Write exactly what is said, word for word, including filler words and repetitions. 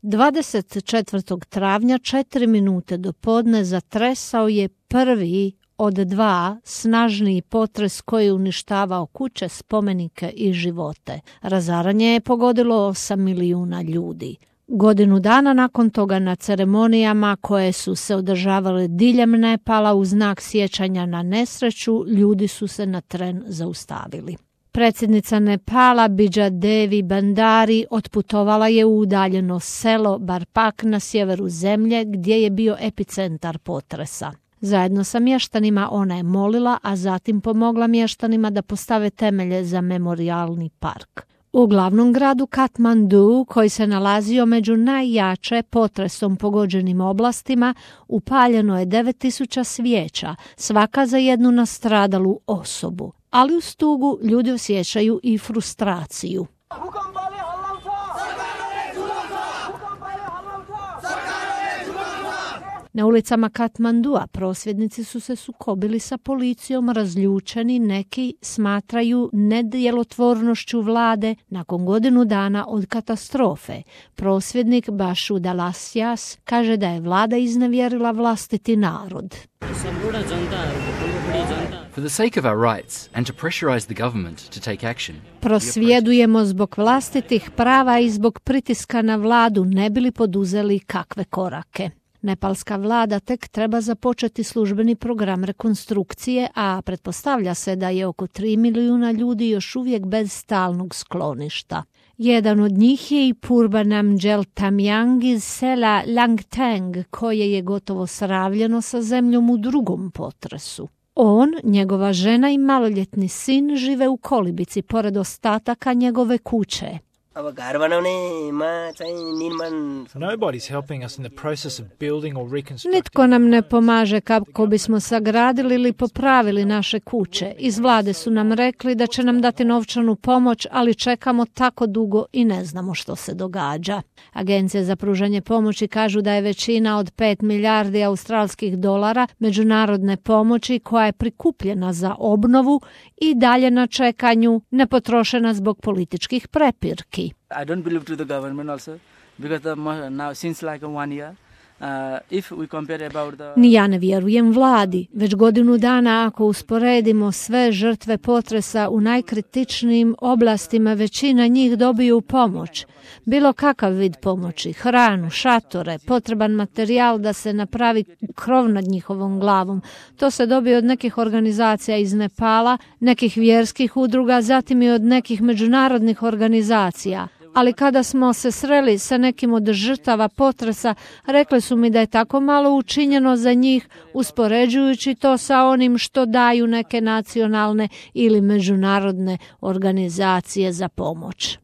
dvadeset četvrtog travnja, četiri minute do podne, zatresao je prvi od dva snažniji potres koji je uništavao kuće, spomenike i živote. Razaranje je pogodilo osam milijuna ljudi. Godinu dana nakon toga na ceremonijama koje su se održavale diljem Nepala u znak sjećanja na nesreću, ljudi su se na tren zaustavili. Predsjednica Nepala Bidža Devi Bandari otputovala je u udaljeno selo Barpak na sjeveru zemlje gdje je bio epicentar potresa. Zajedno sa mještanima ona je molila, a zatim pomogla mještanima da postave temelje za memorijalni park. U glavnom gradu Katmandu, koji se nalazio među najjače potresom pogođenim oblastima, upaljeno je devet tisuća svijeća, svaka za jednu nastradalu osobu. Ali uz tugu ljudi osjećaju i frustraciju. Na ulicama Katmandua prosvjednici su se sukobili sa policijom, razljučeni, neki smatraju nedjelotvornošću vlade nakon godinu dana od katastrofe. Prosvjednik Bashu Dalasjas kaže da je vlada iznevjerila vlastiti narod. For the sake of our rights and to pressurize the government to take action. Prosvjedujemo zbog vlastitih prava i zbog pritiska na vladu, ne bili poduzeli kakve korake. Nepalska vlada tek treba započeti službeni program rekonstrukcije, a pretpostavlja se da je oko tri milijuna ljudi još uvijek bez stalnog skloništa. Jedan od njih je i Purbanam Jeltamyang iz sela Langtang, koje je gotovo sravljeno sa zemljom u drugom potresu. On, njegova žena i maloljetni sin žive u kolibici pored ostataka njegove kuće. Nobody's helping us in the process of building or reconstructing. Nitko nam ne pomaže kako bismo sagradili ili popravili naše kuće. Iz vlade su nam rekli da će nam dati novčanu pomoć, ali čekamo tako dugo i ne znamo što se događa. Agencije za pružanje pomoći kažu da je većina od pet milijardi australskih dolara međunarodne pomoći koja je prikupljena za obnovu i dalje na čekanju, nepotrošena zbog političkih prepirki. I don't believe to the government also because the, now since like one year uh, if we compare about the Ni ja ne vjerujem vladi. Već godinu dana ako usporedimo sve žrtve potresa u najkritičnijim oblastima, većina njih dobiju pomoć. Bilo kakav vid pomoći, hranu, šatore, potreban materijal da se napravi krov nad njihovom glavom. To se dobije od nekih organizacija iz Nepala, nekih vjerskih udruga, zatim i od nekih međunarodnih organizacija. Ali kada smo se sreli sa nekim od žrtava potresa, rekli su mi da je tako malo učinjeno za njih, uspoređujući to sa onim što daju neke nacionalne ili međunarodne organizacije za pomoć.